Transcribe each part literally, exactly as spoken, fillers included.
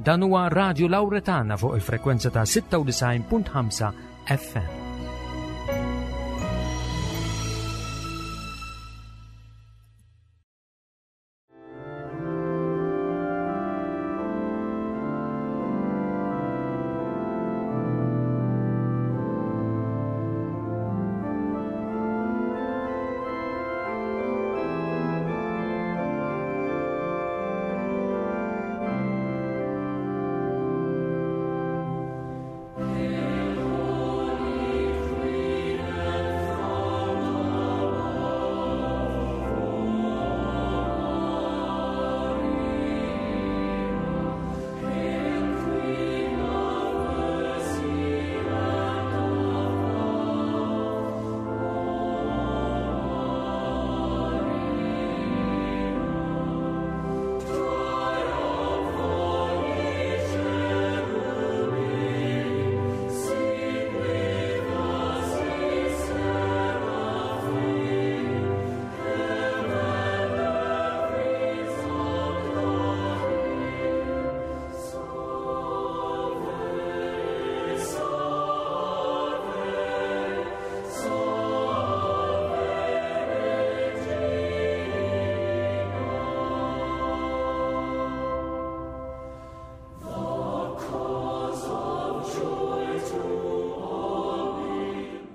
Dan huwa Radio Lauretana fuq il-frekwenza ta' sitta u disgħin punt ħamsa F M.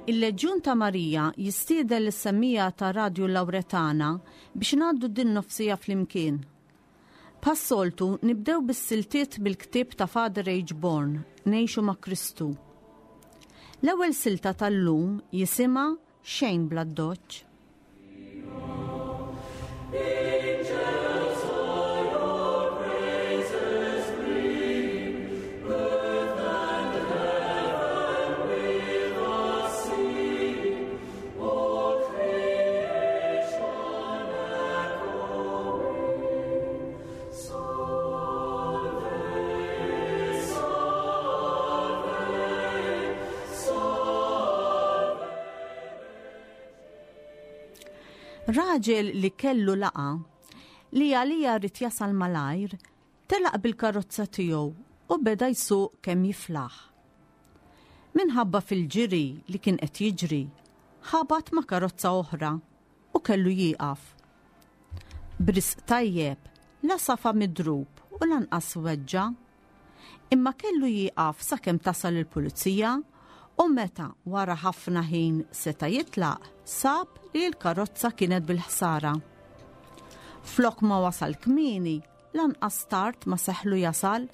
Il-Leġjun ta' Marija jistieden lis-semmiegħa ta' Radju Lauretana biex ngħaddu din nofs-siegħa flimkien. Bħas-soltu nibdew bis-siltiet bil-ktieb ta' Father H. Born, Ngħixu ma' Kristu. L-ewwel silta tal-lum jisimha "Xejn bl-Addoċċ". Raġel li kellu laqgħa li għalija ried jasal malajr, telaq bil-karozza tiegħu u beda jsuq kemm jiflaħ. Minħabba fil-ġiri li kien qed jiġri, ħabat ma' karozza oħra u kellu jieqaf. B'risq tajjeb, la safa midrub u lanqas weġġa, imma kellu jieqaf sakemm tasal il-pulizija u meta wara ħafna ħin seta' jitlaq, sab li l-karozza kienet bil-ħsara. Flok ma wasal kmieni, lanqas tard ma seħlu jasal.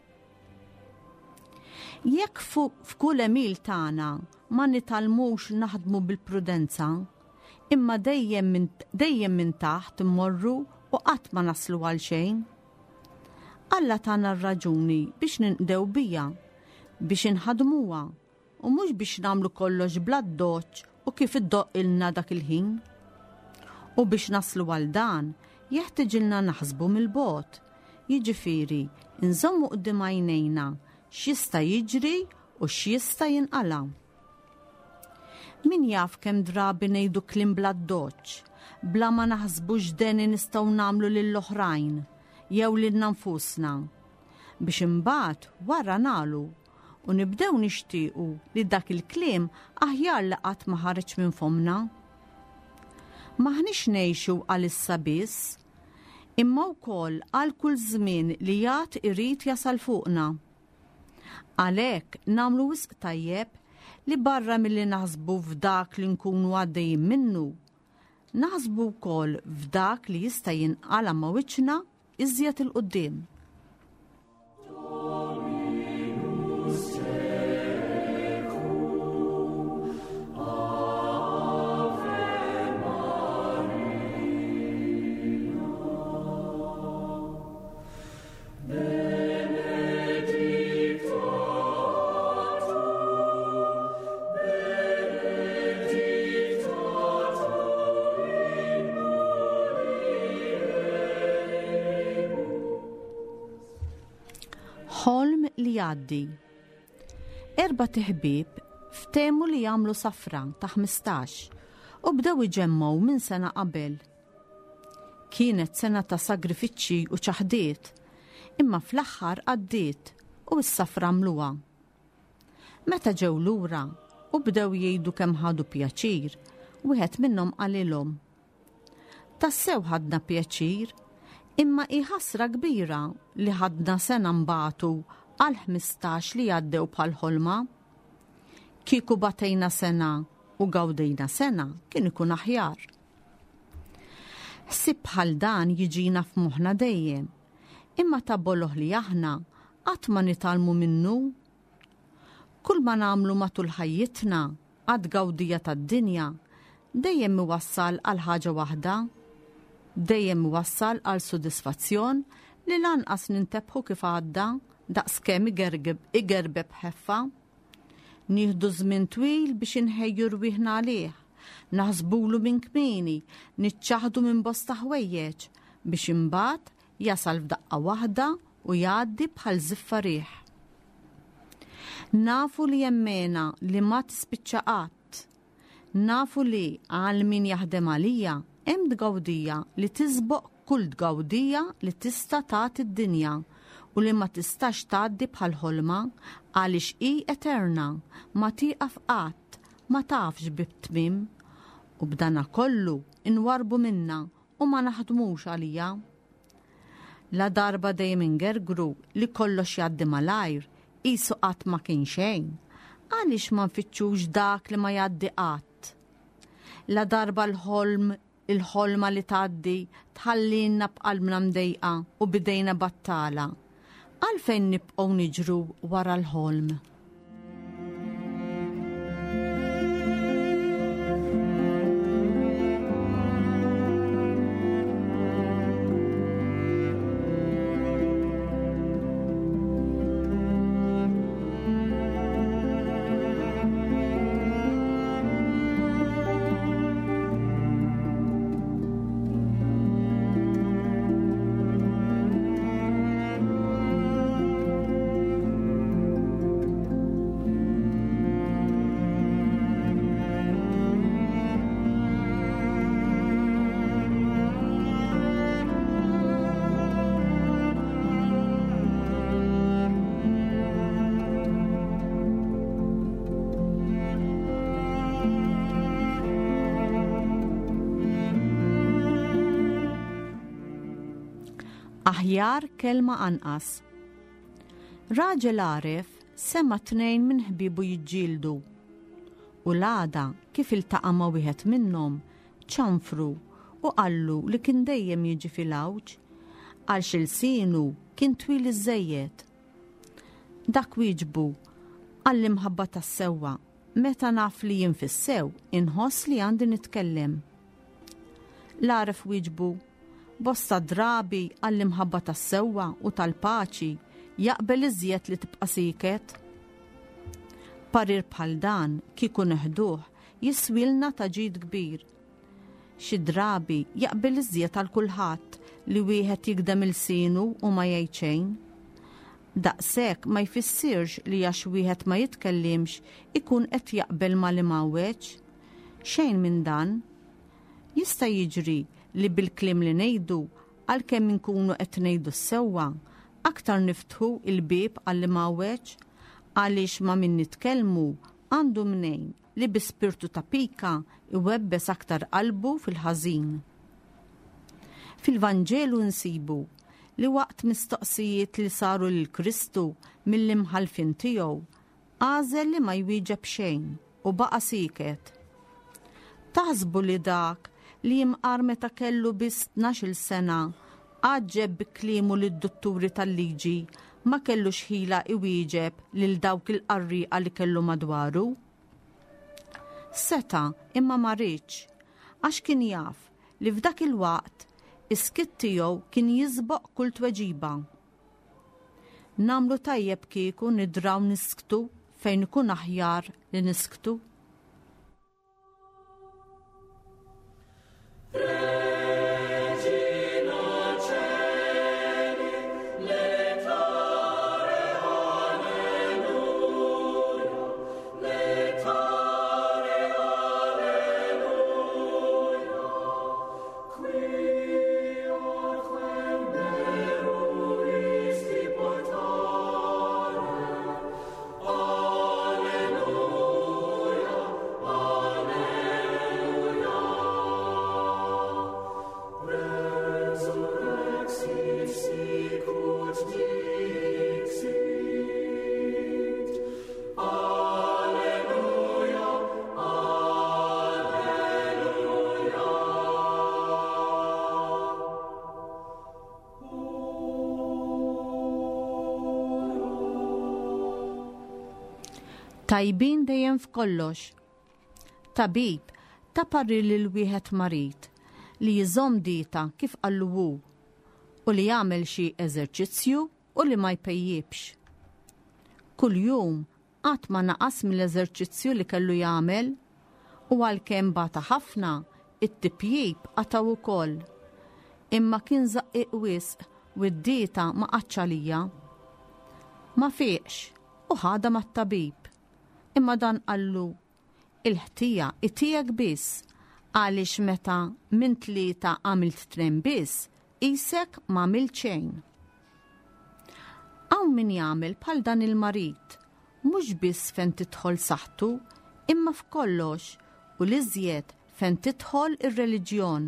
Jekk f'kull għemil tagħna ma nitgħallmux naħdmu bil-prudenza, imma dejjem minn dejjem minn taħt immorru u qatt ma naslu għal xejn. Alla tana r-raġuni biex ninqdew biha, biex inħadmuha u mhux biex nagħmlu kollox bl-addoċċ u kif iddoqqilna dak il-ħin. U biex naslu għal dan, jeħtieġilna naħsbu mill-bogħod, jiġifieri nżommu quddiem għajnejna x'jista' jiġri u x'jista' jinqala. Min jaf kemm drabi ngħidu kliem bl-addoċċ, bla ma naħsbu x'deni nistgħu nagħmlu lill-oħrajn jew lilna nfusna. Biex imbagħad wara nagħlu u nibdew nixtiequ li dak il-kliem aħjar li qatt ma ħareġ minn fomna. M'aħniex ngħixu għalissa biss, imma wkoll għal kull żmien li għad irid jasal fuqna. Għalhekk nagħmlu wisq tajjeb li barra milli naħsbu f'dak li nkunu għaddejjin minnu, naħsbu wkoll f'dak li jista' jinqala ma' wiċċna iżjed 'il quddiem. Dominus tecum, Ave Maria. Benedicta tu, benedicta tu in mulieribus. Ħolm li jgħaddi. Erbat iħbieb ftehmu li jagħmlu safra ta' ħmistax u bdew iġemmgħu minn sena qabel. Kienet sena ta' sagrifiċċji u ċaħdiet, imma fl-aħħar għaddiet u s-safra għamluha. Meta ġew lura u bdew jgħidu kemm ħadu pjaċir, wieħed minnhom qalilhom: Tassew ħadna pjaċir, imma hi ħasra kbira li ħadna sena nbatu għal ħmistax li għaddew bħal ħolma. Kieku batejna sena u gawdejna sena kien ikun aħjar. Ħsieb bħal dan jiġina f'moħħna dejjem, imma ta' boloh li aħna qatt ma nitgħallmu minnu. Kull ma nagħmlu matul ħajjitna għad gawdija tad-dinja dejjem iwassal għal ħaġa waħda, dejjem iwassal għal sodisfazzjon li lanqas nintebħu kif għadda daqskemm igerbeb ħeffa. Nieħdu żmien twil biex inħejju rwieħna għalih, naħsbulu minn kmieni, niċċaħdu minn bosta ħwejjeġ biex imbagħad jasal f'daqqa waħda u jgħaddi bħal żiffa riħ. Nafu li jemmena li ma tispiċċa qatt. Nafu li għal min jaħdem għalija hemm tgawdija li tisboq kull tgawdija li tista' tagħti d-dinja u li ma tistax tgħaddi bħal ħolma għaliex hi eterna, ma tieqaf qatt, ma tafx bi tmiem. U b'dana kollu inwarbu minna u ma naħdmux għalija. La darba dejjem ingergru li kollox jgħaddi malajr, qisu qatt ma kien xejn, għaliex ma nfittxux dak li ma jgħaddi qatt? La darba l-ħolm, il-ħolma li tgħaddi tħallinna b'qalbna mdejqa u bidejna battala, għalfejn nibqgħu niġru wara l-ħolm? Aħjar kelma anqas. Raġel għaref sema tnejn minn ħbibu jiġġieldu. U l-għada kif iltaqa' ma' wieħed minnhom ċanfru u qallu li kien dejjem jiġi fil-għawġ għal xilsinu kien twil iżżejjed. Dak wieġbu għall-imħabba tas-sewwa, meta naf li jien fis-sew inħoss li għandi nitkellem. L-għaref wieġbu: bosta drabi għall-imħabba tas-sewwa u tal-paċi jaqbel iżjed li tibqa' siket. Parir bħal dan kieku neħduh jiswilna ta' ġid kbir. Xi drabi jaqbel iżjed għal kulħadd li wieħed jikdem ilsienu u ma jgħid xejn. Daqshekk ma jfissirx li għax wieħed ma jitkellimx ikun qed jaqbel ma li mawweġ. Xejn minn dan. Jista' jiġri li bil-kliem li ngħidu għalkemm inkunu qed ngħidu s-sewwa, aktar niftħu il-bieb għal mawweġ għaliex ma min nitkellmu għandu mnejn li bi spirtu ta' pika iwebbes aktar qalbu fil-ħażin. Fil-Vanġelu nsibu li waqt mistoqsijiet li saru lil Kristu mill-imħalfin tiegħu għażel li ma jwieġeb xejn u baqa' sieket. Taħsbu li dak li jimqar meta kellu biss tnax-il sena għaġġeb bi kliemu lid-dutturi tal-liġi ma kellux ħila iwieġeb lil dawk il-qarrieqa li kellu madwaru? Seta' imma ma riedx, għax kien jaf li f'dak il-waqt is-skiet tiegħu kien jisboq kull tweġiba. Nagħmlu tajjeb kieku nidraw nisktu fejn ikun aħjar li nisktu. Qui quem meruisti portare, Tajbin dejjem f'kollox. Tabib ta parir lil wieħed marid li jżomm dieta kif qallu hu u li jagħmel xi eżerċizzju u li ma jpejjibx. Kuljum qatt ma naqas mill-eżerċizzju li kellu jagħmel u għalkemm bata ħafna, it-tipjib qatgħu ukoll. Imma kien żaqqiq wisq u d-dieta ma qatx għalija. Ma fieqx u ħadha mat-tabib. Imma dan qallu, il-ħtija hi tiegħek biss għaliex meta minn tlieta għamilt tnejn biss, qisek ma għamilt xejn. Hawn min jagħmel bħal dan il-marid, mhux biss fejn tidħol saħħtu, imma f'kollox u l-iżjed fejn tidħol ir-reliġjon.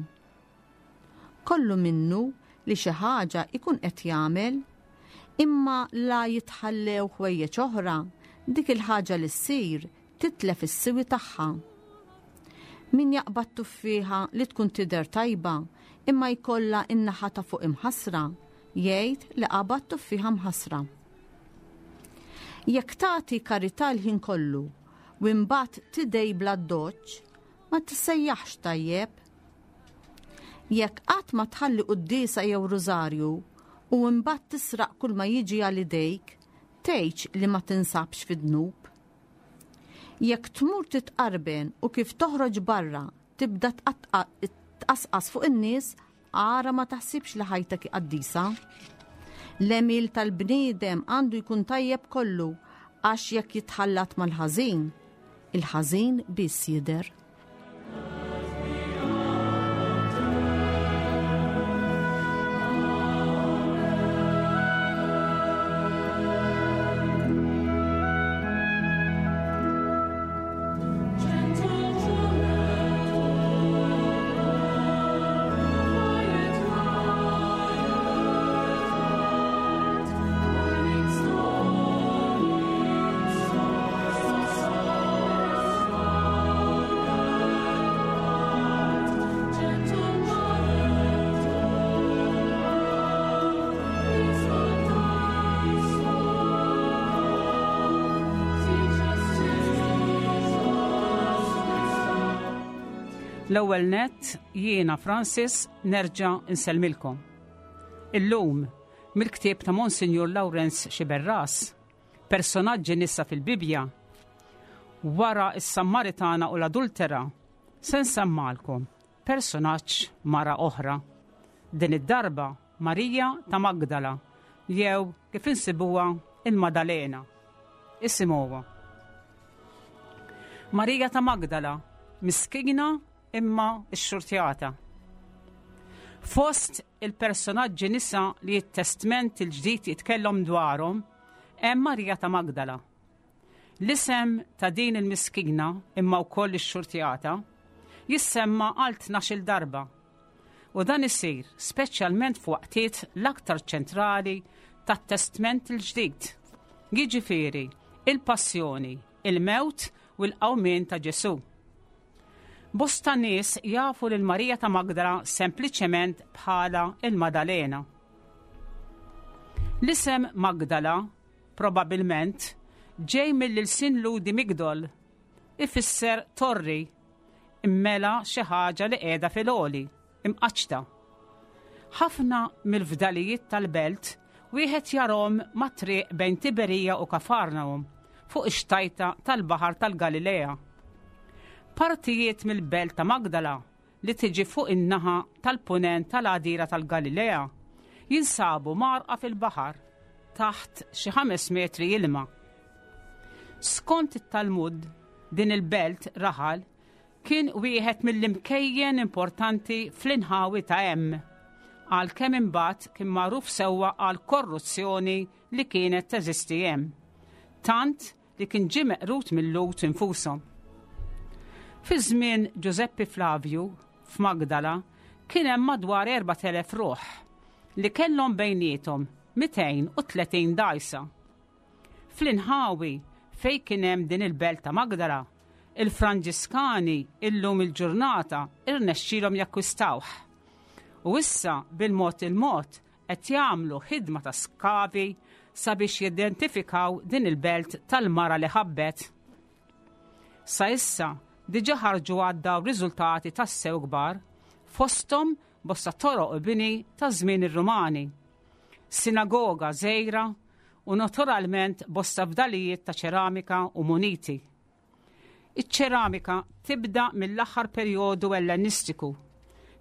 Kollu minnu li xi ħaġa ikun qed jagħmel, imma la jitħallew ħwejjeġ oħra, dik il-ħaġa li ssir titlef is-siwi tagħha. Min jaqbad tuffieħa li tkun tidher tajba imma jkollha in-naħa ta' fuq imħassra, jgħid li qabad tuffieħa mħassra. Jekk tagħti karità l-ħin kollu u imbagħad tidgħi bl-addoċċ, ma tissejjaħx tajjeb. Jekk qatt ma tħalli quddiesa jew rużarju u imbagħad tisraq kull ma jiġi għal idejk, tgħidx li ma tinsabx fid-dnub. Jekk tmur titqarben u kif toħroġ barra tibda tqasqas fuq in-nies, ara ma taħsibx li ħajtek hi qaddisa. L-għemil tal-bniedem għandu jkun tajjeb kollu għax jekk jitħallat mal-ħażin, il-ħażin biss jidher. L-ewwel nett jiena Francis nerġa' nsellmilkom. Illum mill-ktieb ta' Monsinjur Lawrenz Sciberras, personaġġi nisa fil-Bibja, wara s-Sammaritana u l-Adultera, se nsemmalkom personaġġ mara oħra. Din id-darba Marija ta' Magdala, jew kif insibuha il-Madalena. Isimgħuha. Marija ta' Magdala, miskina imma xxurtjata. Fost il-personaġġi nisa li t-Testment il-ġdid jitkellem dwarhom hemm Marija ta' Magdala. L-isem ta' din il-miskina imma wkoll ix-xurtjata jissemma għal tnax-il darba. U dan isir speċjalment f'waqtiet l-aktar ċentrali tat-Testment il-ġdid. Jiġifieri il-passjoni, il-mewt u l-qawmien ta' Ġesù. Bosta nies jafu lil Marija ta' Magdala sempliċement bħala il-Madalena. L-isem Magdala probabilment ġej mill-ilsien Lhudi Migdol, ifisser torri, immela xi ħaġa li qiegħda fil-għoli, imqaċċta. Ħafna mill-fdalijiet tal-belt wieħed jarhom mat-triq bejn Tiberija u Kafarnaum fuq ix-xtajta tal-Baħar tal-Galilea. Partijiet mill-belt ta' Magdala li tiġi fuq in-naħa tal-punent tal-għadira tal-Galilea jinsabu marqa fil-baħar taħt xi ħames metri ilma. Skont it-Talmud, din il-belt raħal kien wieħed mill-imkejjen importanti fl-inħawi ta' hemm, għalkemm imbagħad kien magħruf sewwa għal korruzzjoni li kienet teżisti hemm, tant li kien ġie meqrut mill-Lhud infushom. Fi żmien Giuseppe Flavio f'Magdala kien hemm madwar erbat elef ruħ li kellhom bejniethom mitejn u tletin dgħajsa. Fl-inħawi fejn kien hemm din il-belt ta' Magdala, il-Franġiskani illum il-ġurnata irnexxielhom jakkwistawh. U issa bil-mod il-mod qed jagħmlu ħidma ta' skavi sabiex jidentifikaw din il-belt tal-mara li ħabbet. Sa issa diġà ħarġu għaddaw riżultati tassew kbar, fosthom bosta toroq u bini ta' żmien ir-Rumani, sinagoga żgħira u naturalment bosta fdalijiet ta' ċeramika u muniti. Iċ-ċeramika tibda mill-aħħar perjodu Ellenistiku,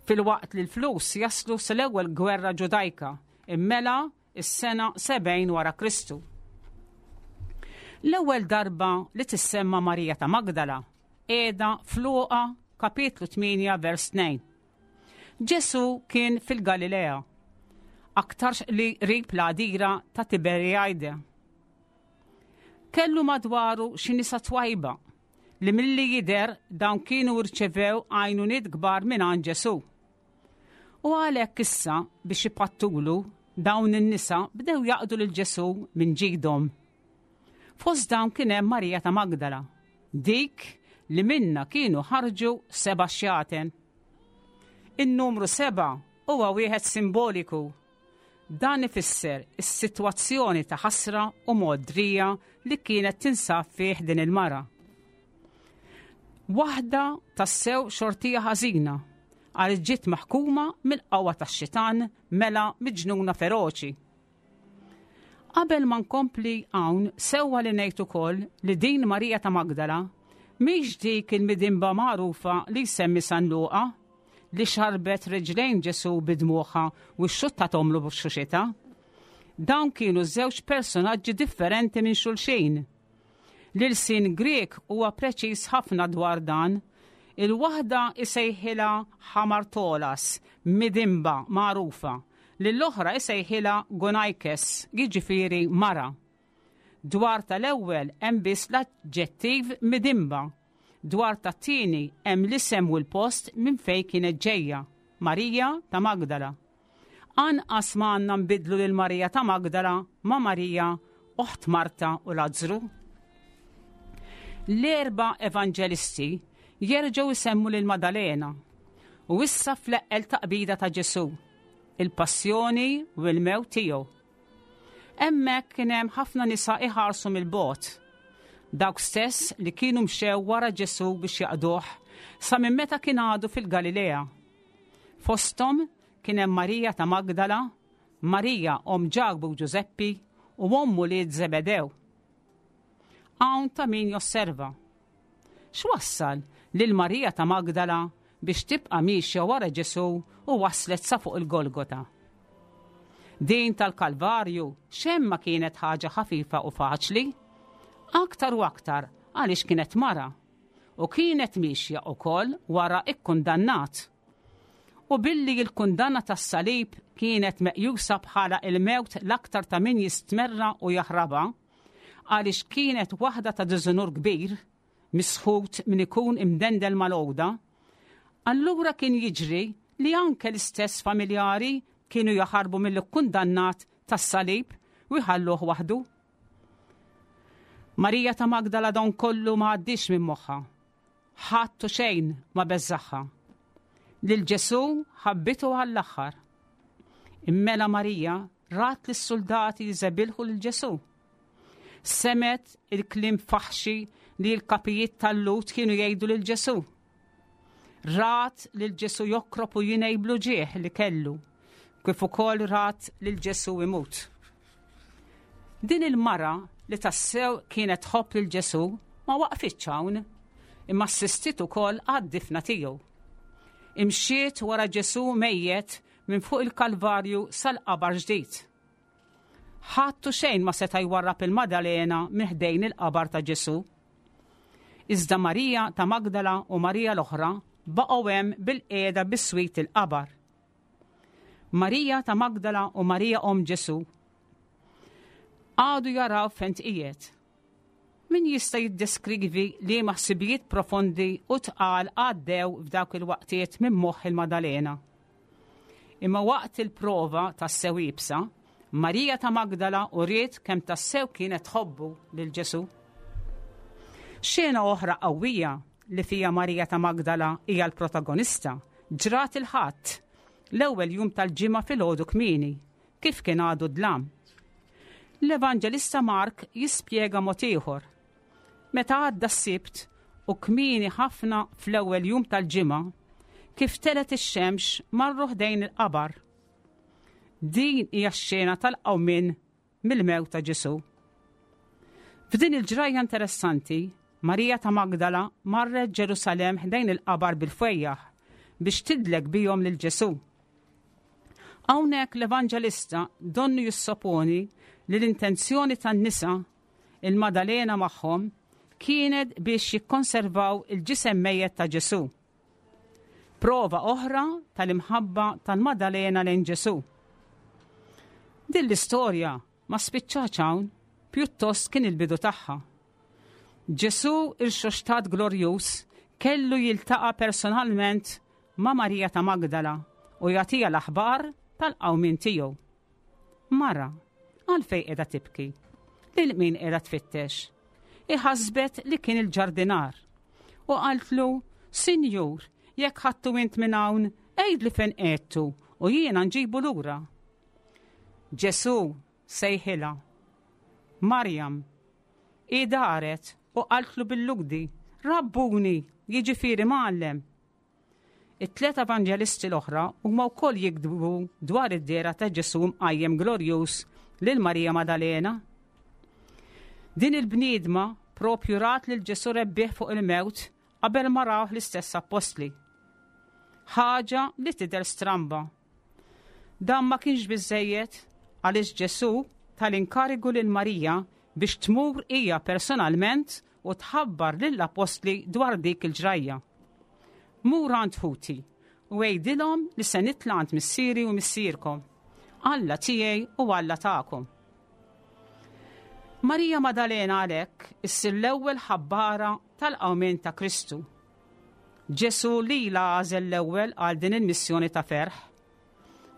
filwaqt li l-flus jaslu sal-ewwel gwerra Ġudajka, immela is-sena sebgħin wara Kristu. L-ewwel darba li tissemma Marija ta' Magdala qiegħda f'Luqa kapitlu tmienja vers tnejn. Ġesu kien fil-Galilea, aktarx li qrib l-għadira ta' Tiberijade. Kellu madwaru xi nisa twajba li milli jidher dawn kienu rċevew għajnuniet kbar minn għand Ġesu. U għalhekk issa biex ipattulu dawn in-nisa bdew jaqdu lil Ġesu minn ġidhom. Fost dawn kien hemm Marija ta' Magdala, dik li minna kienu ħarġu seba' xjaten. In-numru seba' huwa wieħed simboliku. Dan ifisser is-sitwazzjoni ta' ħasra u mogħdrija li kienet tinsab fih din il-mara. Waħda tassew xortija ħażina għal ġiet maħkuma mill-qawwa tax-xitan mela miġnuna feroċi. Qabel ma nkompli hawn sewwa li ngħid ukoll li din Marija ta' Magdala mhix dik il-midinba magħrufa li jsemmi San Luqa li xarbet riġlejn Ġesu bidmuħa u xxuttathomlu b'xuxita. Dawn kienu żewġ personaġġi differenti minn xulxin. L-ilsien Grek huwa preċiż ħafna dwar dan. Il-waħda isejħilha Ħamartolas, midinba magħrufa, lill-oħra isejħilha Gonaikes, jiġifieri mara. Dwar tal-ewwel hemm biss l-aġġettiv midinba. Dwar tat-tieni hemm l-isem u l-post minn fejn kienet ġejja, Marija ta' Magdala. Anqas ma għandna nbidlu lil Marija ta' Magdala ma' Marija oħt Marta u Lazzru. L-erba' evanġelisti jerġgħu jsemmu lil Madalena u issa fl-eqqel taqbida ta' Ġesu, il-passjoni u l-mewt tiegħu. Hemmhekk kien hemm ħafna nisa iħarsu mill-bogħod. Dawk stess li kienu mxew wara Ġesu biex jaqduh sa minn meta kien għadu fil-Galilea. Fosthom kien hemm Marija ta' Magdala, Marija omm Ġakbu u Ġużeppi u omm ulied Zebedew. Hawn ta' min josserva. X'wassal lil Marija ta' Magdala biex tibqa' miexja wara Ġesu u waslet sa fuq il-Golgota? Din tal-Kalvarju xejn ma kienet ħaġa ħafifa u faċli, aktar u aktar għaliex kienet mara u kienet miexja wkoll wara ikkundannat. U billi l-kundanna tas-salib kienet meqjusa bħala il-mewt l-aktar ta' min jistmerra u jaħraba, għaliex kienet waħda ta' diżunur kbir, misħut min ikun imdendel mal-għoda, allura kien jiġri li anke l-istess familjari kienu jaħarbu mill-kundannat tas-salib u jħalluh waħdu. Marija ta' Magdala don kollu ma għaddix minn moħħa. Ħadd u xejn ma beżaħħa. Lil Ġesu ħabbitu għall-aħħar. Immela Marija rat lis-soldati jżebilħu lil Ġesu. Semgħet il-kliem faħxi li l-kapijiet tal-Lhud kienu jgħidu lil Ġesu. Rat lil Ġesu jokrob u jingħi bl-uġigħ li kellu, kif ukoll rat lil Ġesu imut. Din il-mara li tassew kienet tħobb lil Ġesu ma waqfitx hawn, imma assistit ukoll għad-difna tiegħu. Imxiet wara Ġesu mejjet minn fuq il-Kalvarju sal-qabar ġdid. Ħadd u xejn ma seta' jwarrab il-Madalena minn ħdejn il-qabar ta' Ġesu. Iżda Marija ta' Magdala u Marija l-oħra baqgħu hemm bil-qiegħda biswit il-qabar. Marija ta' Magdala u Marija omm Ġesu għadu jaraw fejn tqiegħed. Min jista' jiddeskrivi li ħsibijiet profondi u tqal għaddew f'dawk il-waqtiet minn moħħ il-Madalena. Imma waqt il-prova tassew iebsa, Marija ta' Magdala uriet kemm tassew kienet tħobbu lil Ġesu. Xena oħra qawwija li fija Marija ta' Magdala hija l-protagonista ġrat il-Ħadd, l-ewwel jum tal-ġimgħa filgħodu kmieni, kif kien għadu dlam. L-Evanġelista Mark jispjega mod ieħor. Meta għadda s-Sibt u kmieni ħafna fl-ewwel jum tal-ġimgħa, kif telgħet ix-xemx marru ħdejn il-qabar. Din hija x-xena tal-qawmien mill-mewt ta' Ġesù. F'din il-ġrajja interessanti, Marija ta' Magdala marret Ġerusalemm ħdejn il-qabar bil-fwejjaħ biex tidlek bihom lil Ġesù. Hawnhekk l-Evanġelista donnu jissoponi li l-intenzjoni tan-nisa, il-Madalena magħhom, kienet biex jikkonservaw il-ġisem mejjet ta' Ġesù. Prova oħra tal-imħabba tal-Madalena lejn Ġesù. Din l-istorja ma spiċċax hawn, pjuttost kien il-bidu tagħha. Ġesù irxoxtat glorjuż kellu jiltaqa' personalment ma' Marija ta' Magdala u jagħtiha l-aħbar tal-qawmien tiegħu. Mara, għalfejn qiegħda tibki? Lil min qiegħda tfittex? Iħasbet li kien il-ġardinar u qaltlu, Sinjur, jekk ħadtu int minn hawn, għidli fejn qiegħedtu u jiena nġibu lura. Ġesù sejħilha. Marjam, hi daret u qaltlu bil-Lhudi, Rabbuni, jiġifieri mgħallem. It-tliet evanġelisti l-oħra huma wkoll jiktbu dwar id-dehra ta' Ġesù mqajjem glorjuż lil Marija Madalena. Din il-bniedma propju rat lil Ġesù rebbieħ fuq il-mewt qabel ma rawh l-istess appostli. Ħaġa li tidher stramba. Dan ma kienx biżejjed għaliex Ġesù tal-inkarigu lil Marija biex tmur hija personalment u tħabbar lill-appostli dwar dik il-ġrajja. Mur għand ħuti u għidilhom li se nitla' għand missieri u missierkom, Alla tiegħi u Alla tagħkom. Marija Madalena għalhekk issir l-ewwel ħabbara tal-qawmien ta' Kristu. Ġesù lilha għażel l-ewwel għal din il-missjoni ta' ferħ.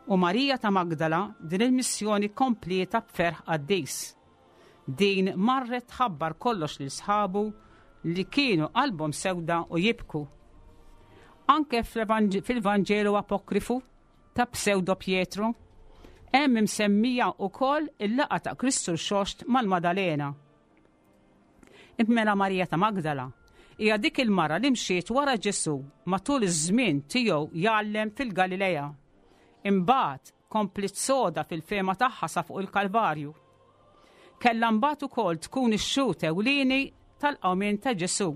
U Marija ta' Magdala din il-missjoni komplieta b'ferħ qaddis. Din marret tħabbar kollox lil sħabu li kienu qalbhom sewda u jibku. Anke fil-Vanġelu apokrifu ta' Pseudo Pietro, hemm imsemmija wkoll il-laqgħa ta' Kristu rxoxt mal-Madalena. Immela Marija ta' Magdala hija dik il-mara li mxiet wara Ġesù matul iż-żmien tiegħu jgħallem fil-Galilea. Imbagħad kompliet soda fil-fehma tagħha sa fuq il-Kalvarju. Kellha mbagħad ukoll tkun ix-xhud ewlieni tal-qawmien ta' Ġesù.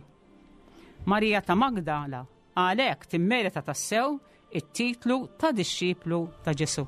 Marija ta' Magdala għalhekk timmerita tassew it-titlu ta' dixxiplu ta' Ġesù.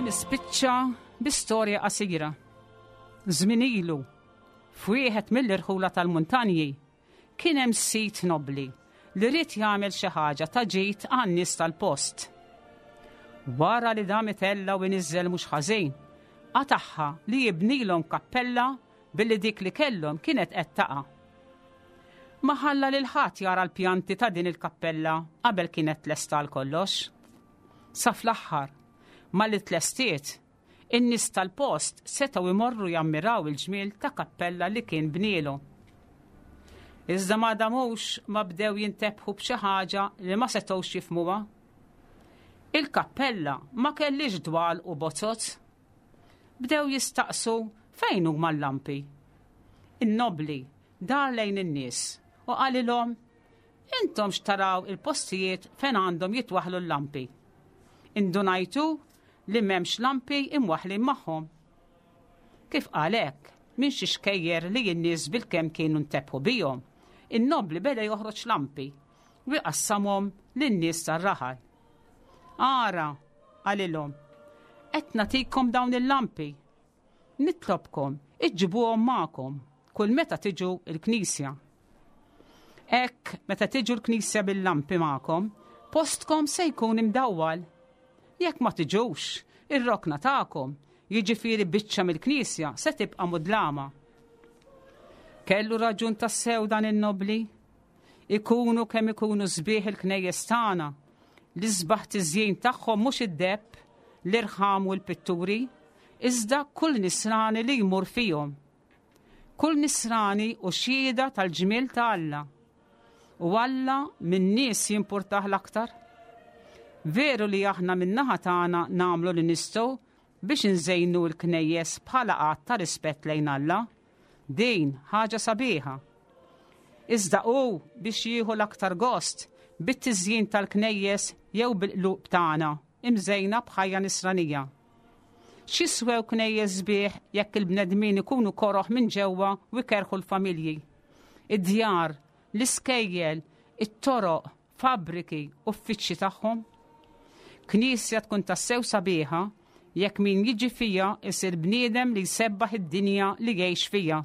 Nispiċċa bi storja qasira. Żmien ilu, f'wieħed mill-irħula tal-muntanji, kien hemm sit nobli li ried jagħmel xi ħaġa ta' ġid għan-nies tal-post. Wara li dam itella' u iniżżel mhux ħażin, qatagħha li jibnilhom kappella billi dik li kellhom kienet qed taqa'. Ma ħalla lil ħadd jara l-pjanti ta' din il-kappella qabel kienet tlesta għal kollox. Sa fl-aħħar, malli tlestiet, in-nies tal-post setgħu jmorru jammiraw il-ġmiel ta' kappella li kien bnielu. Iżda ma damux ma bdew jintebħu b'xi ħaġa li ma setgħux jifhmuha. Il-kappella ma kellix dwal u bozzot. Bdew jistaqsu fejn huma l-lampi. In-nobli dar lejn in-nies u qalilhom, intom x'taraw il-postijiet fejn għandhom jitwaħħlu l-lampi. Indunajtu li m'hemmx lampi imwaħħlin magħhom. Kif qal hekk, minn xi xkejjer li n-nies bilkemm kienu ntebħu bihom, in-nobli beda joħroġ lampi u jqassamhom lin-nies tar-raħal. Ara, qalilhom, qed nagħtikom dawn il-lampi. Nitlobkom, iġġibuhom magħkom kull meta tiġu l-knisja. Hekk, meta tiġu l-knisja bil-lampi magħkom, postkom se jkun imdawwal. Jekk ma tiġux, ir-rokna tagħkom, jiġifieri biċċa mill-knisja, se tibqa' mudlama. Kellu raġun tassew dan in-nobli? Ikunu kemm ikunu sbieħ il-knejjes tagħna, l-isbaħ tiżjin tagħhom mhux id-deheb, l-irħam u l-pitturi, iżda kull nisrani li jmur fihom. Kull nisrani hu xhieda tal-ġmiel ta' Alla. U Alla min-nies jimpurtah l-aktar. Veru li aħna min-naħa tagħna nagħmlu li nistgħu biex nżejnu l-knejjes bħala att ta' rispett lejn Alla. Din ħaġa sabiħa. Iżda hu biex jieħu l-aktar gost bit-tiżjin tal-knejjes jew bil-qlub tagħna imżejna b'ħajja nisranija. X'jiswew knejjes sbieħ jekk il-bnedmin ikunu koroħ minn ġewwa u jkerħu l-familji? Id-djar, l-iskejjel, it-toroq, fabbriki, uffiċċji tagħhom? Knisja tkun tassew sabiħa jekk min jiġi fija isir bniedem li jsebbaħ id-dinja li jgħix fija.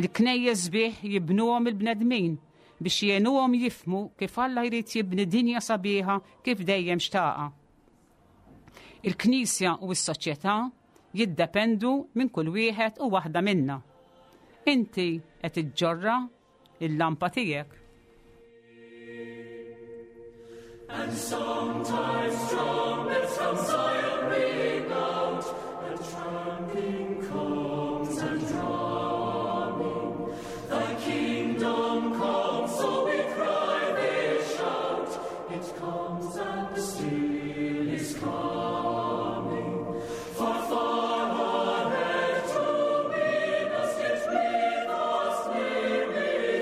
Il-knejjes sbieħ jibnuhom il-bnedmin biex jgħinuhom jifhmu kif Alla jrid jibni dinja sabiħa kif dejjem xtaqa. Il-Knisja u s-soċjetà jiddependu minn kull wieħed u waħda minna. Inti qed iġġorra il-lampa tiegħek. And sometimes trumpets from Zion ring out, and tramping comes and drumming. Thy kingdom come, so we cry, they shout. It comes and still is coming. Far, far ahead to win us, yet with us, near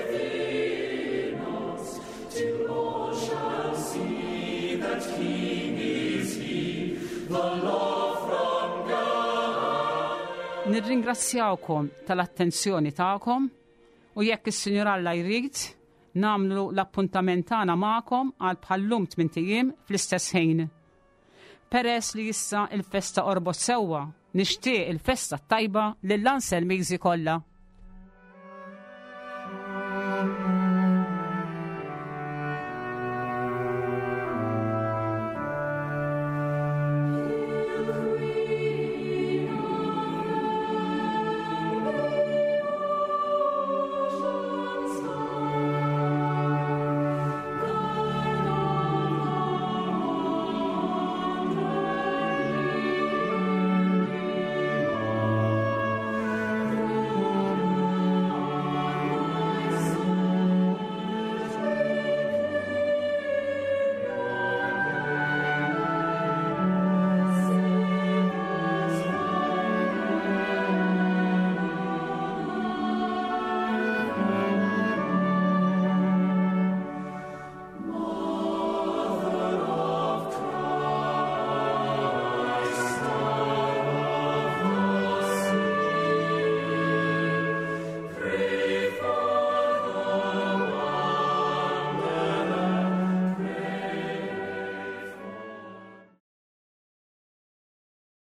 within us, till all shall see that King is He, the law from God. Nirringrazzjawkom tal-attenzjoni tagħkom u jekk is-Sinjur Alla jrid nagħmlu l-appuntament tagħna magħkom għal bħallum tmint ijiem fl-istess ħin. Peress li issa il-festa qorbot sewwa, nixtieq il-festa tajba lill-Anselmiżi kollha.